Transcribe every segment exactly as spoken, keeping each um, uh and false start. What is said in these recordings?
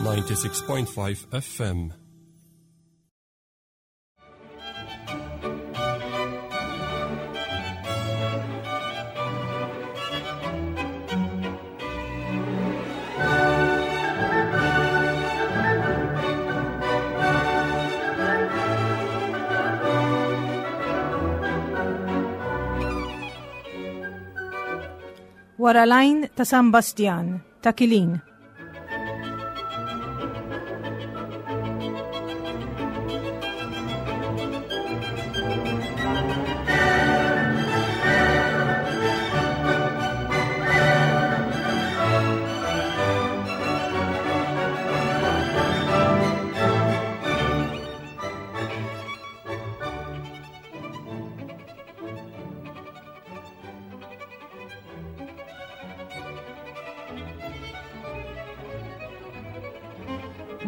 ninety-six point five F M. Wara l-għajn ta' San Bastjan, ta' Kilin.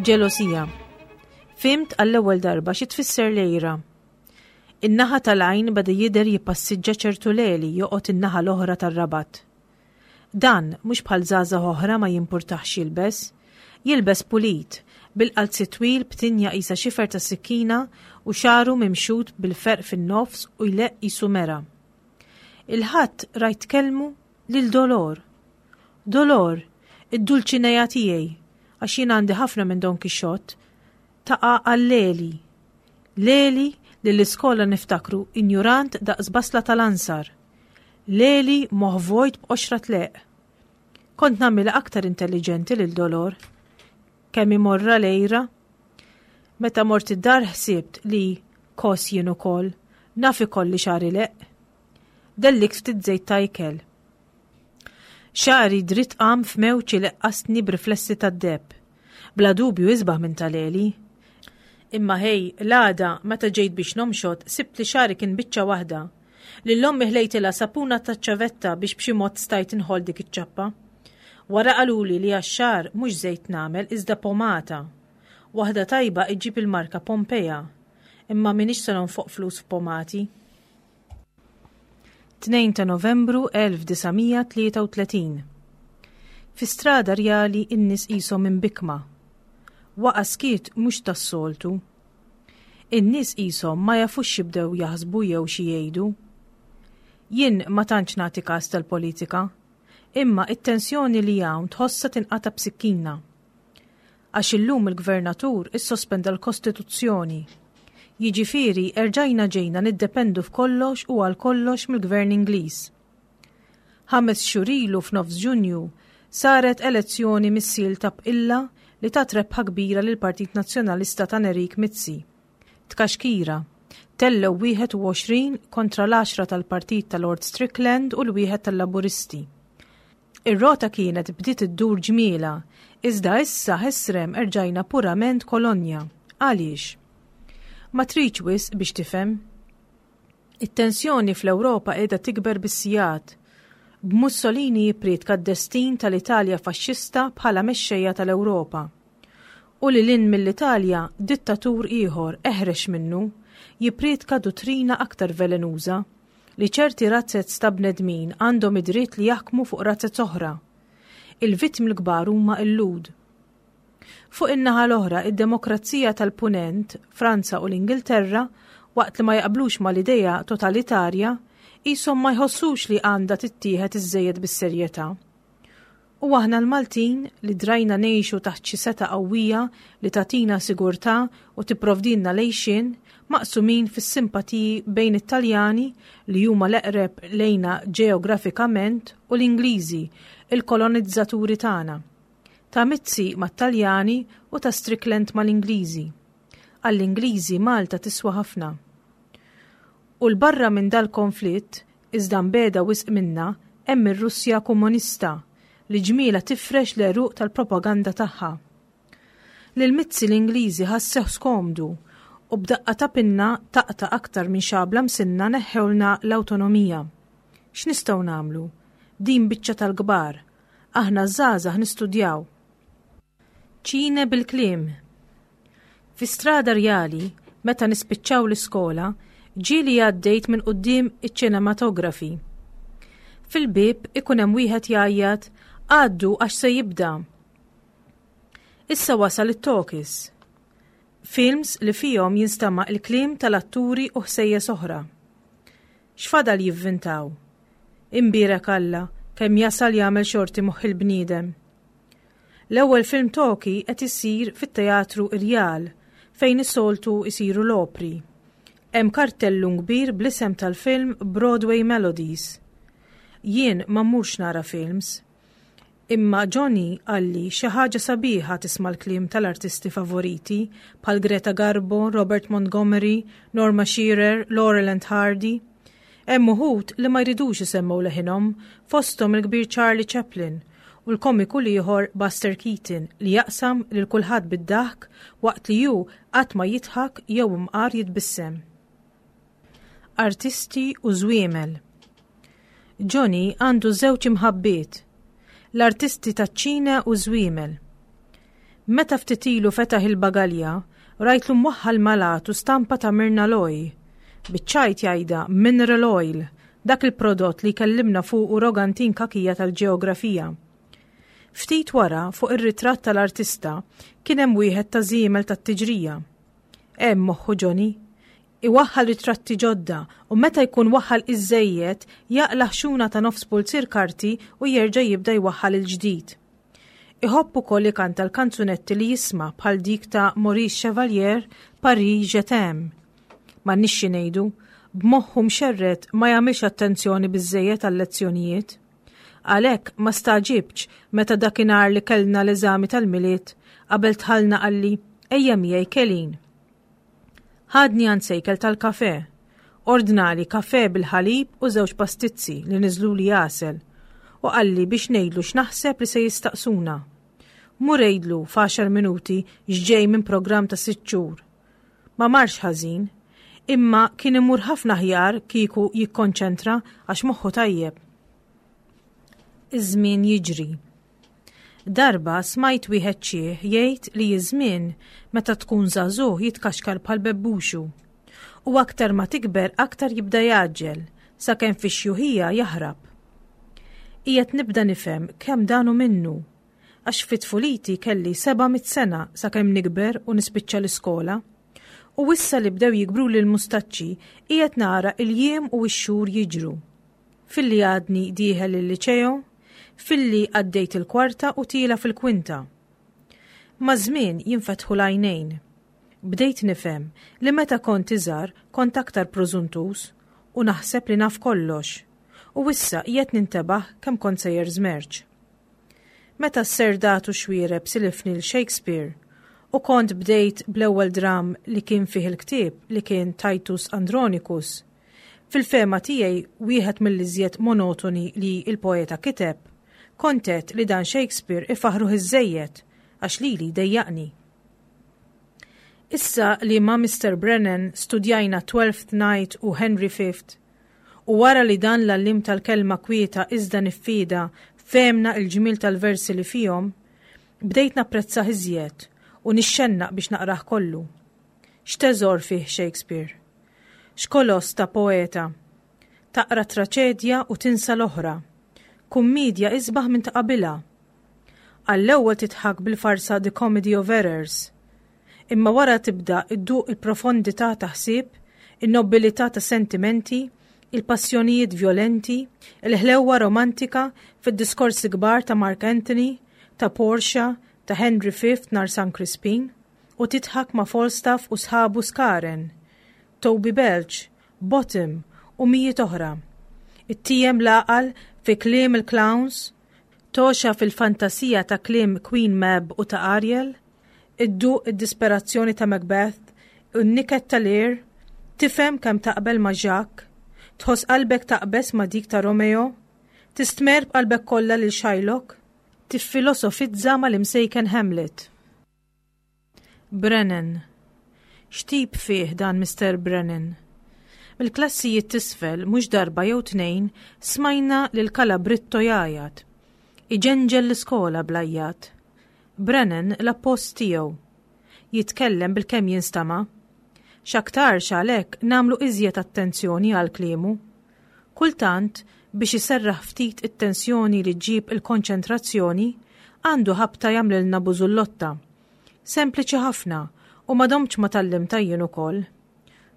Ġelosija. Fimt għall-ewwel darba xi tfisser lejra. In-naħa tal-għajn beda jidher jippassiġġa ċertu leli joqgħod in-naħa l-oħra tar-rabat. Dan mhux bħal żgħażagħ oħra ma jimpurtax jilbes, jilbes pulit, bil-qalzi twil b'tinja qisha xifer ta' sikkina u xagħru mimxut bil-ferq fin-nofs u jleqq qisu mera. Il-ħadd rajt kellmu lil Dolor. Dolor, id-dulċineja tiegħi, għax jien għandi ħafna minn Don Quixote, taqa' għal Leli. Leli li l-iskola niftakru injurant daqs basla tal-ansar. Leli moħ vojt b'qoxra tleq. Kont nagħmilha aktar intelligenti lil Dolor. Kemm imorra lejra. Meta mort id-dar ħsibt li kos jien ukoll, naf ikolli xagħri leq. Dellik ftit żejt ta' ikel. Xagħri dritt qam f'mewġ li leqqasni b'riflessi tad-deheb. Bla dubju isbaħ minn tal-Eli. Imma ħej, l-għada, meta ġejt biex nomxot, sibt li xagħri kien biċċa waħda. Lil ommi ħlejtilha sapuna taċ-ċavetta biex b'xi mod stajt inħol dik iċ-ċappa. Wara qaluli li għax-xagħar mhux żejt nagħmel iżda pomata. Waħda tajba iġġib il-marka Pompeja. Imma m'iniex se nonfoq flus f'pomati. Tnejn ta' Novembru elf disa' mija tlieta u tletin. Fi strada rjali in-nies qishom imbikma. Waqa' skiet mhux tas-soltu. In-nies qishom ma jafux x'jibdew jaħsbu jew xi jgħidu. Jien ma tantx nagħti każ tal-politika, imma it-tensjoni li hawn tħossha tinqata' b'sikkina. Għax illum il-gvernatur issospenda l-Kostituzzjoni. Jiġifieri erġajna ġejna niddependu f'kollox u għal kollox mill-Gvern Ingliż. Ħames xhur ilu f'nofs Ġunju saret elezzjoni missil ta' bqilla li tat rebħa kbira lill-Partit Nazzjonalista ta' Nerik Mizzi. Tkaxkira, tellew wieħed u għoxrin kontra l-għaxra tal-Partit ta' Lord Strickland u l-wieħed tal-Laburisti. Ir-rota kienet bdiet iddur ġmiela, iżda issa ħesrem erġajna purament kolonja. Għaliex? Ma tridx wisq biex tifhem. It-tensjoni fl-Ewropa qiegħda tikber bis-sigħat. B'Mussolini jippriedka d-destin tal-Italja faxxista bħala mexxejja tal-Ewropa. U lil hinn mill-Italja dittatur ieħor eħrex minnu jippriedka duttrina aktar velenuża li ċerti razzez ta' bnedmin għandhom id-dritt li jaħkmu fuq razzez oħra. Il-vittmi l-kbar huma l-Lhud. Fuq in-naħa l-oħra, id-demokrazija tal-Punent, Franza u l-Ingilterra, waqt li ma jaqblux mal-idea totalitarja, qishom ma jħossux li għandha tittieħed iżżejjed bis-serjetà. U aħna l-Maltin li drajna ngħixu taħt xi seta' qawwija li tagħtina sigurtà u tipprovdilna lejxin, maqsumin fis-simpatiji bejn it-Taljani li huma l-eqreb lejna ġeografikament u l-Ingliżi, il-kolonizzaturi tagħna. Ta' Mizzi mat-Taljani u ta' Strickland mal-Ingliżi. Għall-Ingliżi Malta tiswa ħafna. U l-barra minn dal-konflitt, iżda mbeda wisq minna, hemm ir-Russja komunista li ġmiela tifrex l-għeruq tal-propaganda tagħha. Lil Mizzi l-Ingliżi ħassew skomdu u b'daqqa ta' pinna taqta' aktar minn xabla msinna neħħewlna l-awtonomija. X'nistgħu nagħmlu? Din biċċa tal-kbar. Aħna żgħażagħ nistudjaw. Ċine bil-kliem. Fi strada rjali, meta nispiċċaw l-iskola, ġieli għaddejt minn quddiem iċ-ċinematografi. Fil-bib ikun hemm wieħed jgħajjat, għaddu għax se jibda. Issa wasal it-talkies. Films li fihom jinstama' il-kliem tal-atturi u ħsejjes oħra. X'fadal jivvintaw? Imbierek Alla, kemm jasal jagħmel xorti moħħ il-bniedem. L-ewwel film talkie qed isir fit-Teatru Irjal fejn is-soltu isiru l-opri. Hemm kartellun kbir bl-isem tal-film Broadway Melodies. Jien ma mmurx nara films. Imma Johnny qalli xi ħaġa sabiħa tisma' l-kliem tal-artisti favoriti bħal Greta Garbo, Robert Montgomery, Norma Shearer, Laurel and Hardy. Hemm uħud li ma jridux isemmew leħinhom, fosthom il-kbir Charlie Chaplin u l-komiku l-ieħor Buster Keaton li jaqsam lil kulħadd bid-daħk waqt li hu qatt ma jidħak jew imqar jitbissem. Artisti u żwiemel. Johnny għandu żewġ imħabbiet, l-artisti taċ-ċina u żwiemel. Meta ftit ilu fetaħ il-bagalja, rajtlu mwaħħal malatu stampa ta' Myrna Loy. Biċ-ċajt jgħidha Mineral Oil, dak il-prodott li kellimna fuq Rogantin Kakija tal-ġeografija. Ftit wara, fuq ir-ritratt tal-artista, kien hemm wieħed ta' żiemel tat-tiġrija. Hemm moħħu Johnny. Iwaħħal ritratti ġodda u meta jkun waħħal iżżejjed jaqla' ħxuna ta' nofs pulzier karti u jerġa' jibda jwaħħal il-ġdid. Iħobb ukoll ikanta l-kanzunetti li jisma' bħal dik ta' Maurice Chevalier Paris Je t'aime. M'għandniex xi ngħidu, b'moħħu mxerred ma jagħmilx attenzjoni biżżejjed għal-lezzjonijiet. Għalhekk ma stagħġibtx meta dakinhar li kellna l-eżami tal-Milied qabel dħalna qalli ejja miegħi Kelin. Ħadni għand sejkel tal-kafe. Ordnali kafe bil-ħalib u żewġ pastizzi li niżluli għasel u qalli biex ngħidlu x'naħseb li se jistaqsuna. Mur għidlu f'għaxar minuti x'ġej minn programm ta' sitt xhur. Ma marx ħażin, imma kien imur ħafna aħjar kieku jikkonċentra għax moħħu tajjeb. Iż-żmien jiġri. Darba smajt wieħed xiħ jgħid li iż-żmien meta tkun żagħżugħ jitkaxkar bħal bebbuxu. U aktar ma tikber aktar jibda jgħaġġel sakemm fix-xjuħija jaħrab. Qiegħed nibda nifhem kemm dan hu minnu, għax fi tfuliti kelli seba' mitt sena sakemm nikber u nispiċċa l-iskola. U issa li bdew jikbru lil mustaċċi qiegħed nara il-jiem u x-xhur jiġru. Filli għadni dieħel il-liċeo, filli għaddejt il-kwarta u tiela fil-kwinta. Maż-żmien jinfetħu l-għajnejn. Bdejt nifhem li meta kont iżgħar kont aktar prożuntus u naħseb li naf kollox. U issa qiegħed nintebaħ kemm kont sejjer żmerċ. Meta s-serdatu xwiereb silifni l Shakespeare u kont bdejt bl-ewwel dram li kien fih il-ktieb li kien Titus Andronicus, fil-fehma tiegħi wieħed mill-iżjed monotoni li il-poeta kiteb, kont għedt li dan Shakespeare ifaħruh iżżejjed għax lili dejjaqni. Issa li ma' Mister Brennan studjajna Twelfth Night u Henry Fifth, u wara li dan l-għallim tal-kelma kwieta iżda niffida fehmna il-ġmiel tal-versi li fihom, bdejt napprezzah iżjed u nixxennaq biex naqrah kollu. X'teżor fih Shakespeare? X'koloss ta' poeta? Taqra traċedja u tinsa l-oħra. Kummedja isbaħ minn ta' qabilha. Għall-ewwel tidħak bil-farsa The Comedy of Errors. Imma wara tibda idduq il-profondità ta' ħsieb, in-nobilità ta' sentimenti, il-passjonijiet violenti, il-ħlewwa romantika fid-diskorsi kbar ta' Mark Anthony, ta' Portia, ta' Henry Fifth nar San Crispin, u tidħak ma' Falstaff u sħabu Skaren, Toby Belch, Bottom u mijiet oħra. Ittiem l-għaqal fi kliem il-clowns, toxa fil-fantasija ta' kliem Queen Mab u ta' Ariel, idduq id-disperazzjoni ta' Macbeth, u n-niket ta' Lear, tifhem kemm taqbel ma' Jacques, tħoss qalbek taqbes ma' dik ta' Romeo, tistmer b'qalbek kollha lil Shylock, tiffilosofizza mal-imsejken Hamlet. Brennan. X'tip fih dan Mister Brennan? Mill-klassijiet t'isfel mhux darba jew tnejn smajna lil Calabritto jgħajjat. Iġenġel l-iskola bl-għajjat. Brennan l-appost tiegħu. Jitkellem bil-kemm jinstama'. X'aktarx għalhekk nagħmlu iżjed attenzjoni għal kliemu. Kultant, biex iserraħ ftit it-tensjoni li ġġib il-konċentrazzjoni, għandu ħabta jagħmlilna bużullotta. Sempliċi ħafna u ma domtx ma tgħallimtha jien ukoll.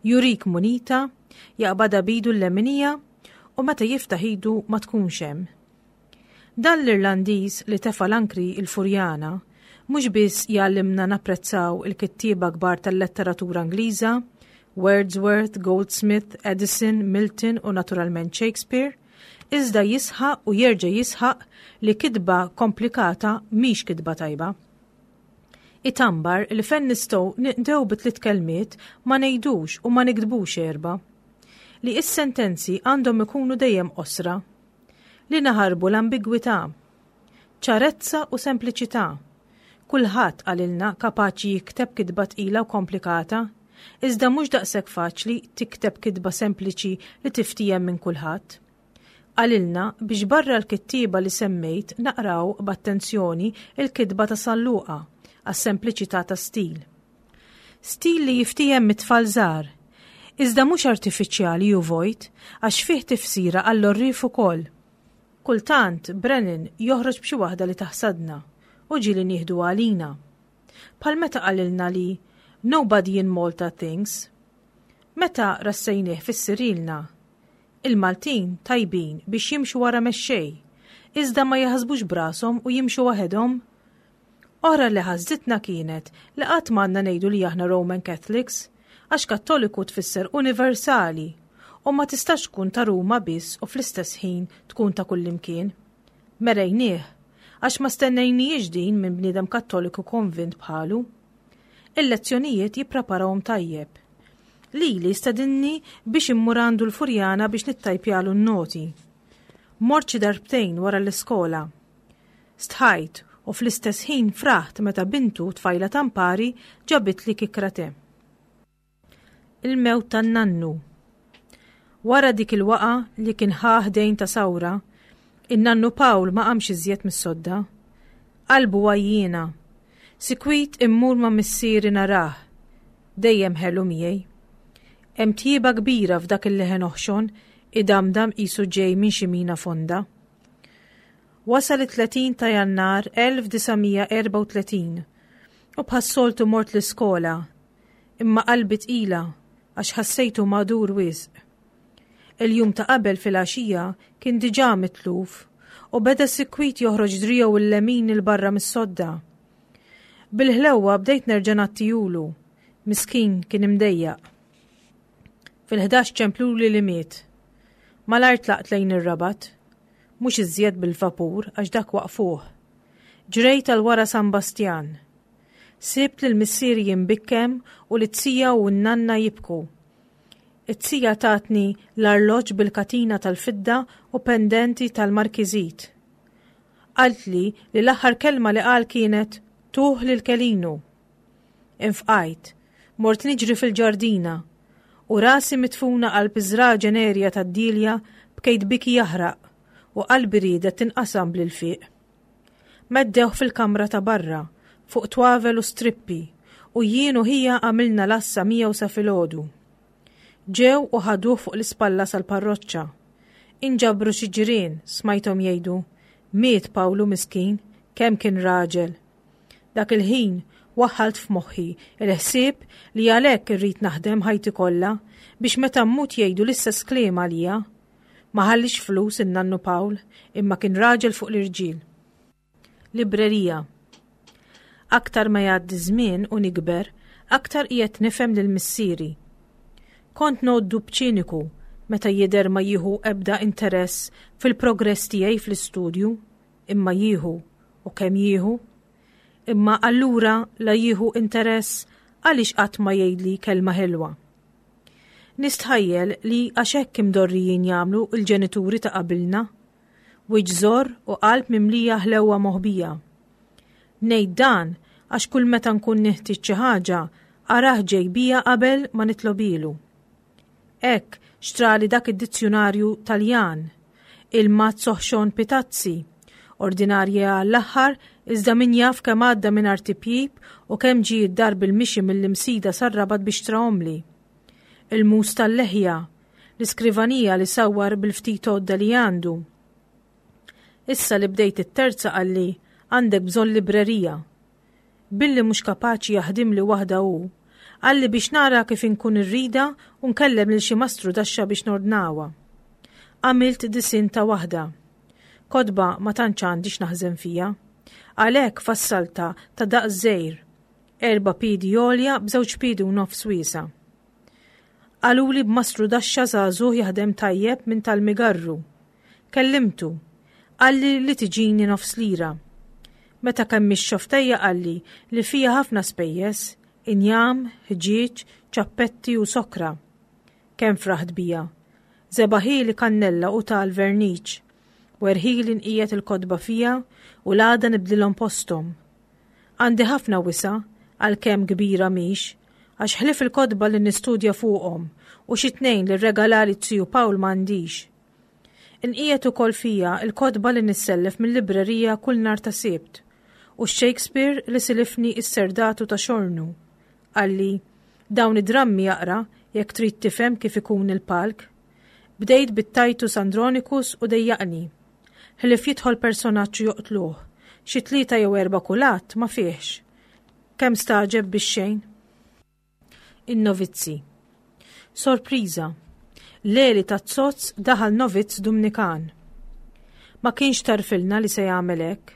Jurik munita, jaqbadha b'idu l-leminija u meta jiftaħ idu ma tkunx hemm. Dan l-Irlandiż li tefa' l-ankri il-Furjana mhux biss jgħallimna napprezzaw il-kittieba kbar tal-letteratura Ingliża, Wordsworth, Goldsmith, Addison, Milton u naturalment Shakespeare, iżda jisħaq u jerġa' jisħaq li kitba komplikata mhix kitba tajba. Itambar li fejn nistgħu ninqdew bi tliet kelmiet ma ngħidux u ma niktbux erba'. Li is-sentenzi għandhom ikunu dejjem qosra. Li naħarbu l-ambigwità. Ċarezza u sempliċità. Kulħadd qalilna kapaċi jikteb kitba tqila u komplikata, iżda mhux daqshekk faċli tikteb kitba sempliċi li tiftiehem minn kulħadd. Qalilna biex barra l-kittieba li semmejt naqraw b'attenzjoni il-kitba ta' San Luqa għas-sempliċità ta' stil. Stil li jiftiehem mit-tfal żgħar, iżda mhux artifiċjali u vojt għax fih tifsira għall-għorrief ukoll. Kultant Brennan joħroġ b'xi waħda li taħsadna u ġieli nieħdu għalina. Bħal meta qalilna li "Nobody in Malta thinks." Meta rassejnieh fissirilna, il-Maltin tajbin biex jimxu wara mexxej, iżda ma jaħsbux b'rashom u jimxu waħedhom. Oħra li ħasditna kienet li qatt m'għandna ngħidu li aħna Roman Catholics, għax Kattoliku tfisser universali u ma tistax tkun ta' Ruma biss u fl-istess ħin tkun ta' kullimkien. Merejnieh, għax ma stennejniex din minn bniedem Kattoliku konvint bħalu. Il-lezzjonijiet jippreparahom tajjeb. Lili stedinni biex immur għandu l-Furjana biex nittajpjalu n-noti. Mort xi darbtejn wara l-iskola. Stħajt u fl-istess ħin fraħt meta bintu tfajla tampari ġabitli kikkra te. Il-mewt tan-nannu. Wara dik il-waqa li kien ħa ħdejn ta' sawra, in-nannu Pawl ma qamx iżjed mis-sodda. Qalbu għajjiena. Sikwit immur ma' missieri narah. Dejjem ħelu miegħi. Hemm tjieba kbira f'dak il-leħen oħxon idamdam qisu ġej minn xi mina fonda. Wasal it-tletin ta' Jannar elf disa' mija erbgħa u tletin u bħas-soltu mort l-iskola, imma qalbi tqila għax ħassejtu magħdur wisq. Il-jum ta' qabel fil-għaxija kien diġà mitluf u beda sikwit joħroġ driegħu il-lemin 'il barra mis-sodda. Bil-ħlewwa bdejt nerġa' ngħattihulu, miskin kien imdejjaq. Fil-ħdax ċempluli li miet. Malajr tlaqt lejn ir-Rabat, mhux iżjed bil-vapur għax dak waqfuh. Ġrejt għal wara San Bastjan. Sibt lil missieri jimbikkem u l-zija u n-nanna jibku. It-zija tatni l-arloġġ bil-katina tal-fidda u pendenti tal-markizit. Qaltli li l-aħħar kelma li qal kienet "Tuh lil Kelinu". Infqajt, mort niġri fil-ġardina u rasi mitfuna qalb iż-żraġen għerja tad-dilja bkejt biki jaħraq u qalbi riedet tinqasam bl-ilfiq. Meddewh fil-kamra ta' barra, fuq twavel u strippi, u jien u ħija għamilna l-għassa miegħu sa filgħodu. Ġew u ħaduh fuq l-ispalla sal-parroċċa. Inġabru xi ġirien, smajthom jgħidu, "Miet Pawlu miskin, kemm kien raġel." Dak il-ħin waħħalt f'moħħi il-ħsieb li għalhekk irrid naħdem ħajti kollha biex meta mmut jgħidu l-istess kliem għalija. Ma ħallix flus in-nannu Pawl, imma kien raġel fuq l-irġiel. Librerija. Aktar ma jgħaddi żmien u nikber, aktar qiegħed nifhem lil missieri. Kont ngħoddu b'ċiniku meta jidher ma jieħu ebda interess fil-progress tiegħi fl-istudju, imma jieħu u kemm jieħu. Imma allura la jieħu interess għaliex qatt ma jgħidli kelma ħelwa? Nistħajjel li għax hekk imdorrijin jagħmlu il-ġenituri ta' qabilna, wiċċ żorr u qalb mimlija ħlewwa moħbija. Ngħid dan għax kull meta nkun neħtieġ xi ħaġa arah ġej bija qabel ma nitlobhielu. Hekk xtrali dak id-dizzjunarju Taljan, il-mazz oħxon pitazzi, ordinarja għall-aħħar iżda min jaf kemm għadda minn tipjip u kemm ġie d-dar bil-mixi mill-Imsida sar-Rabat biex xtrahomli. Il-mus tal-leħja, l-iskrivanija li sawar bil-ftit għodda li għandu. Issa li bdejt it-terza qalli, "Għandek bżonn librerija." Billi mhux kapaċi jaħdimli waħda hu, qalli biex nara kif inkun irridha u nkellem lil xi mastrudaxxa biex nordnawha. Għamilt disinn ta' waħda. Kotba ma tantx għandi x'naħżen fiha. Għalhekk fassaltha ta' daqs żgħir, erba' piedi għolja b'żewġ piedi u nofs wiesgħa. Qaluli b'mastrudaxxa żagħżugħ jaħdem tajjeb minn tal-Migarru. Kellimtu. Qalli li tiġini nofs lira. Meta kemmix xofftejja qalli li fiha ħafna spejjeż, injam, ħġieġ, ċappetti u sokra. Kemm fraħt bija. Żebagħhieli kannella u tal-verniċ. Werħili nqiegħed il-kotba fiha u l-għada nibdlilhom posthom. Għandi ħafna wisa', għalkemm kbira mhix, għax ħlief il-kotba li nistudja fuqhom u xi tnejn li rregalali z-ziju Pawl m'għandix. Inqiegħed ukoll fiha l-kotba li nissellef mil-librerija kull nhar ta' Sibt u x-Shakespeare li silifni s-Serdatu ta' Xornu. Qalli, dawn id-drammi aqra jekk trid tifhem kif ikun il-palk. Bdejt bit-Titus Andronicus u dejjaqni. Ħlief jidħol personaġġ u joqtluh, xi tlieta jew erba' kull att ma fihx. Kemm stagħġeb bix-xejn. In-novizzi. Sorpriża! Leli taz-zozz daħal novizz Dumnikan. Ma kienx tarfilna li se jagħmel hekk.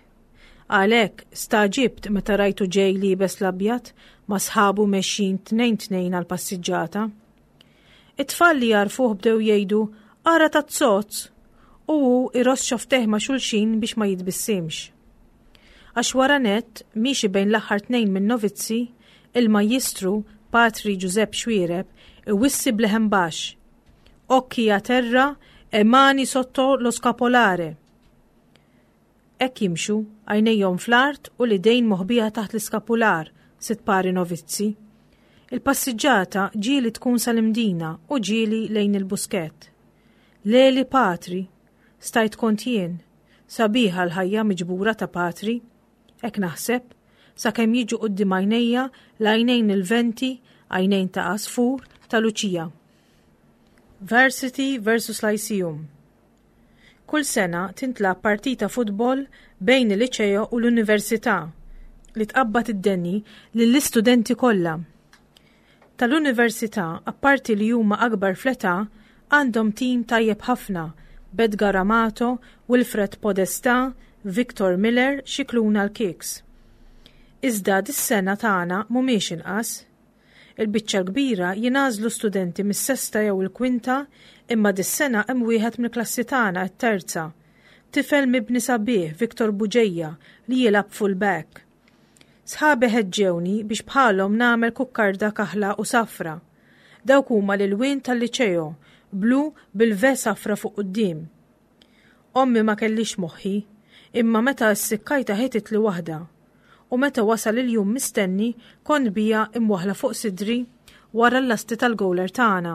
Għalhekk stagħġibt meta rajtu ġej liebes l-abjad ma' sħabu mexjin tnejn tnejn għall-passiġġata. It-tfal li jagħrfuh bdew jgħidu ara taz-zozz u hu iross xofftejh ma' xulxin biex ma jitbissimx. Għax wara nett, miexi bejn l-aħħar tnejn min-novizzi, il-Majjistru, Patri Ġużepp Xuereb, iwissi b'leħen baxx, Occhi a terra e mani sotto lo scapolare. Hekk jimxu, għajnejhom fl-art u l-idejn moħbija taħt l-iskapular, sitt pari novizzi. Il-passiġġata ġieli tkun sal-Imdina u ġieli lejn il-Buskett. Leli patri, stajt kont jien, sabiħa l-ħajja miġbura ta' patri. Hekk naħseb, sakemm jiġu quddiem għajnejja l-għajnejn il-venti, għajnejn ta' għasfur ta' Luċija. Varsity versus Lyceum. Kull sena tintlagħab partita futbol bejn il-Liċeo u l-Università li tqabbad id-deni lill-istudenti kollha. Tal-Università, apparti li huma akbar fl-età, għandhom tim tajjeb ħafna b'Edgar Amato, Wilfred Podestà, Victor Miller, Scicluna l-Kicks. Iżda dis-sena tagħna mhumiex inqas. Il-biċċa l-kbira jingħażlu studenti mis-sesta jew il-kwinta imma dis-sena hemm wieħed mill-klassi tagħna t-terza. Tifel mibni sabiħ Victor Buġeja li jilgħab full back. Sħabi ħeġġewni biex bħalhom nagħmel kukkarda kaħla u safra. Dawk huma l-ilwien tal-liċeo, blu bil-V safra fuq quddiem. Ommi ma kellix moħħi, imma meta ssikkajta ħetitli waħda. U meta wasal il-jum mistenni kont bija imwaħla fuq sidri wara l-lasti tal-gowler tagħna.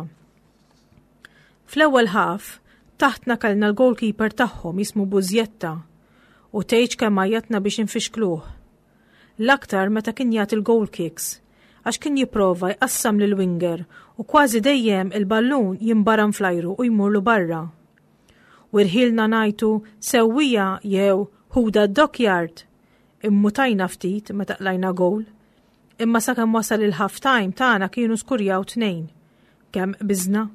Fl-ewwel ħaf, taħtna kellna l-goalkeeper tagħhom jismu Bużjetta u tgħidx kemm għajjatna biex infixkluh. L-aktar meta kien jagħti l-goal kicks, għax kien jipprova jqassam lil winger u kważi dejjem il-ballun jimbaram fl-ajru u jmurlu barra. U rħilna ngħajtu sewwija jew ħuda d-dockyard. Immutajna ftit meta qlajna goal, imma sakemm wasal il-half time tagħna kienu skurjaw tnejn. Kemm biżna.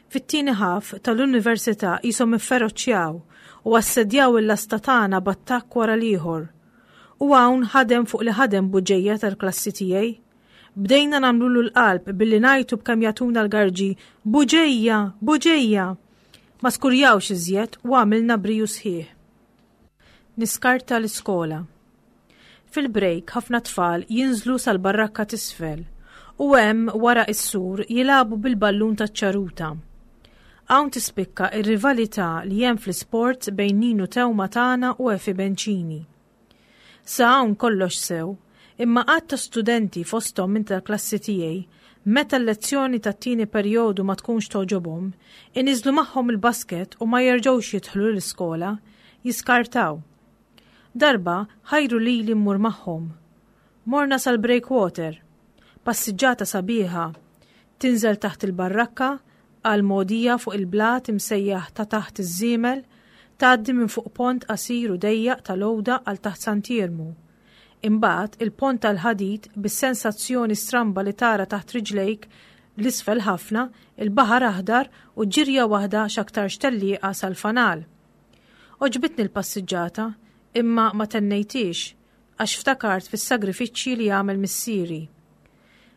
Fit-tieni half tal-università qishom ifferoċjaw u assedjaw il-lasta tagħna b'attakk wara l-ieħor. U hawn ħadem fuq li ħadem Buġeja tal-klassi tiegħi. Bdejna nagħmlulu l-qalb billi ngħajtu b'kemm jagħtuna l-garġi Buġeja, Buġeja. Ma skurjawx iżjed u għamilna briju sħiħ. Niskarta l-iskola. Fil-break ħafna tfal jinżlu sal-barrakka t'isfel u hemm wara is-sur jilagħbu bil-ballun taċ-ċaruta. Hawn tispikka ir-rivalità li hemm fl-isports bejn Ninu Tewma tagħna u Efi Bencini. Sa hawn kollox sew, imma għadd ta' studenti fosthom minn tal-klassi tiegħi, meta l-lezzjoni tat-tieni perjodu ma tkunx togħġobhom, iniżlu magħhom il-basket u ma jerġgħux jidħlu l-iskola, jiskartaw. Darba ħajru lili mmur magħhom. Morna sal-breakwater. Passiġġata sabiħa. Tinżel taħt il-barrakka għal mogħdija fuq il-blat imsejjaħ ta' taħt iż-żiemel, tgħaddi minn fuq pont qasir u dejjaq tal-għoda għal taħt Sant'Iermu. Imbagħad il-pont tal-ħadid bis-sensazzjoni stramba li tara taħt riġlejk 'l isfel ħafna, il-baħar aħdar u ġirja waħda x'aktarx tellieqa sal-fanal. Għoġbitni l-passiġġata, imma ma tennejtix għax ftakart fis-sagrifiċċji li għamel missieri.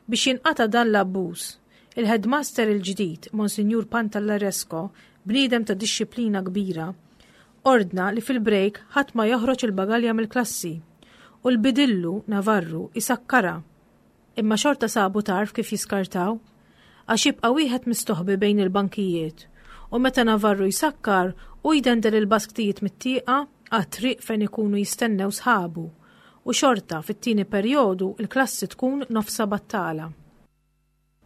Biex jinqata' dan l-abbuż, il-headmaster il-ġdid, Monsinjur Pantallaresco, bniedem ta' dixxiplina kbira, ordna li fil-break ħadd ma joħroġ il-bagalja mill-klassi u l-bidillu Navarru isakkarha. Imma xorta sabu tarf kif jiskartaw, għax jibqa' wieħed mistoħbi bejn il-bankijiet u meta Navarru jsakkar u jdendel il-basktijiet mit-tieqa għat-triq fejn ikunu jistennew sħabu u xorta fit-tieni perjodu il-klassi tkun nofsa battala.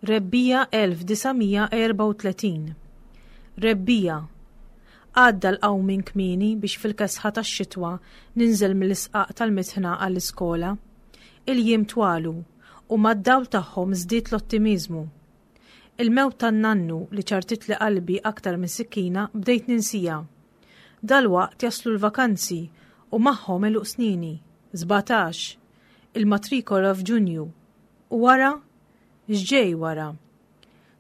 Rebbiegħa elf disa' mija erbgħa u tletin. Rebbiegħa. Għadda l-qawmien kmieni biex fil-kesħa tax-xitwa ninżel mill-isqaq tal-mitħna għall-iskola. Il-jiem twalu u mad-dawl tagħhom żdied l-ottimiżmu. Il-mewt tan-nannu li ċartitli qalbi aktar minn sikkina bdejt ninsija. Dalwaqt jaslu l-vakanzi u magħhom għeluq snini, sbatax, il-matrikola f'Ġunju. U wara? X'ġej wara?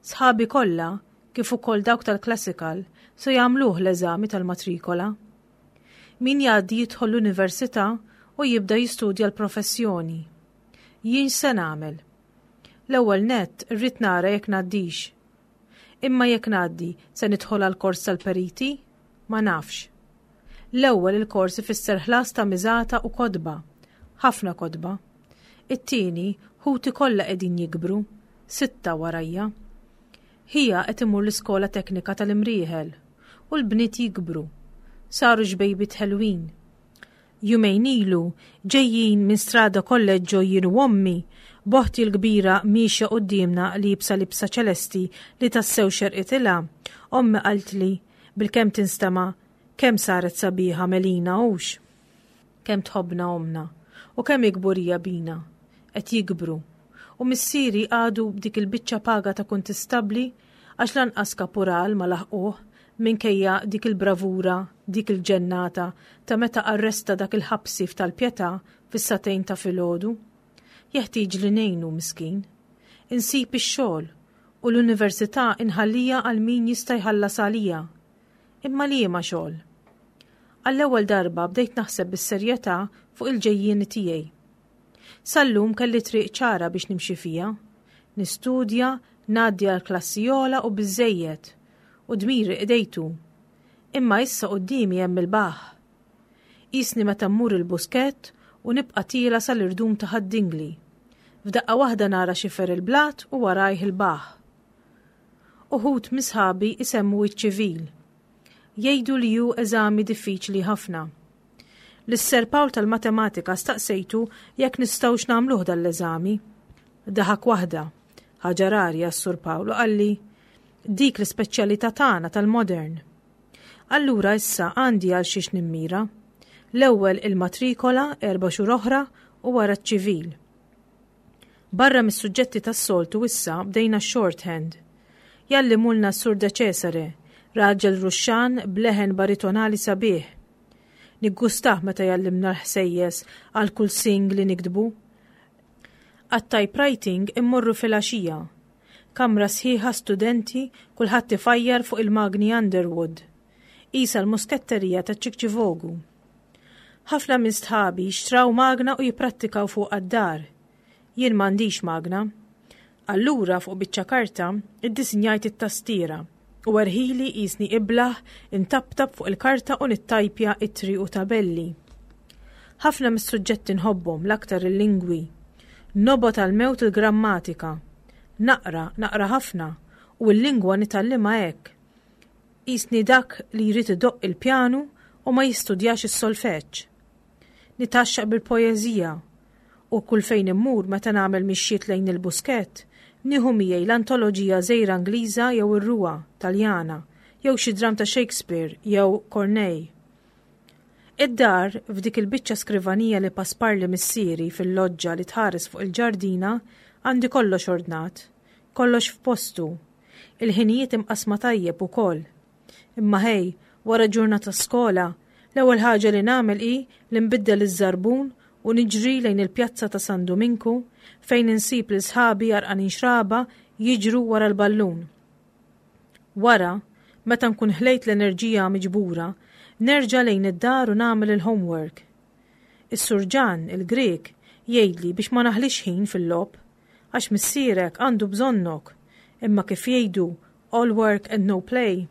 Sħabi kollha, kif ukoll dawk tal-classical, se jagħmluh l-eżami tal-matrikola. Min jgħaddi jidħol l-università u jibda jistudja l-professjoni. Jien se nagħmel? L-ewwel nett irrid nara jekk ngħaddix. Imma jekk ngħaddi se nidħol għal kors tal-periti? Ma nafx. L-ewwel il-kors ifisser ħlas ta' miżata u kotba. Ħafna kotba. It-tieni, ħuti kollha qegħdin jikbru, sitta warajja. Ħija qed imur l-iskola teknika tal-Imrieħel u l-bniet jikbru. Saru xbejbiet ħelwin. Jumejn ilu ġejjin minn Strada Kolleġġo jien u ommi, boħti l-kbira miexja quddiemna liebsa libsa ċelesti li tassew xerqitilha. Ommi qaltli bilkemm tinstema' kemm saret sabiħa Melina hux. Kemm tħobbna omna u kemm ikburija bina, qed jikbru. U missieri għadu b'dik il-biċċa paga ta' kuntistabbli għax lanqas kapural ma laħquh minkejja dik il-bravura, dik il-ġennata ta' meta arresta dak il-ħabsi f'tal-Pietà fis-satejn ta' filgħodu. Jeħtieġ li ngħinu miskin. Insib ix-xogħol u l-università inħallija għal min jista' jħallas għalija. Imma liema xogħol? Għall-ewwel darba bdejt naħseb bis-serjetà fuq il-ġejjieni tiegħi. Sal-lum kelli triq ċara biex nimxi fija. Nistudja, ngħaddi għal klassi ogħla u biżżejjed, u dmiri qdejtu. Imma issa quddiemi hemm il-baħ. Qisni meta mmur il-buskett u nibqa' tiela sal-irdum ta' Ħad-Dingli. F'daqqa waħda nara xifer il-blat u warajh il-baħ. Uħud misħabi isemmu iċ-ċivil. Jgħidu li hu eżami diffiċli ħafna. Lis-Ser Pawl tal-Matematika staqsejtu jekk nistgħux nagħmluh dal-eżami. Daħak waħda, ħaġa rari għas-Sur Pawl, u qalli dik l-ispeċjalità tagħna tal-modern. Allura issa għandi għal xiex nimmira. L-ewwel il-matrikola erba' xhur oħra u wara ċ-ċivil. Barra mis-suġġetti tas-soltu issa bdejna shorthand. Jallimulna s-Sur De Cesare, raġel ruxxan b'leħen baritonali sabiħ. Niggustah meta jallimna l-ħsejjes għal kull sing li niktbu. Għat-typewriting immorru fil-għaxija. Kamra sħiħa studenti, kulħadd ifajjar fuq il-magni Underwood. Isa l-musketterija ta' Ċikċivogu. Ħafna minn sħabi xtraw magna u jipprattikaw fuq għad-dar. Jien m'għandix magna. Allura fuq biċċa karta iddisinjajt it-tastiera u erħili qisni iblaħ intaptap fuq il-karta u nittajpja ittri u tabelli. Ħafna mis-suġġetti nħobbhom, l-aktar il-lingwi. Nobgħod għal-mewt il-grammatika. Naqra, naqra ħafna, u l-lingwa nitgħallimha hekk. Qisni dak li jrid idoqq il-pjanu u ma jistudjax is-solfeġġ. Nitaxxaq bil-poeżija u kull fejn immur meta nagħmel mixjiet lejn il-buskett, nieħu miegħi l-antoloġija żgħira Ingliża jew ir-Ruwa Taljana jew xi dram ta' Shakespeare jew Corneille. Id-dar f'dik il-biċċa skrivanija li pasparli missieri fil-loġġa li tħares fuq il-ġardina għandi kollox ordnat, kollox f'postu, il-ħinijiet imqasma tajjeb ukoll. Imma ħej, wara ġurnata skola, l-ewwel ħaġa li nagħmel hi li nbiddel iż-żarbun u niġri lejn il-pjazza ta' San Duminku fejn insib lil sħabi għarqanin xraba jiġru wara l-ballun. Wara, meta nkun ħlejt l-enerġija miġbura, nerġa' lejn id-dar u nagħmel il-homework. Is-surġan, il-Grek, jgħidli biex ma naħlix ħin fil-logħob, għax missierek għandu bżonnok, imma kif jgħidu all work and no play.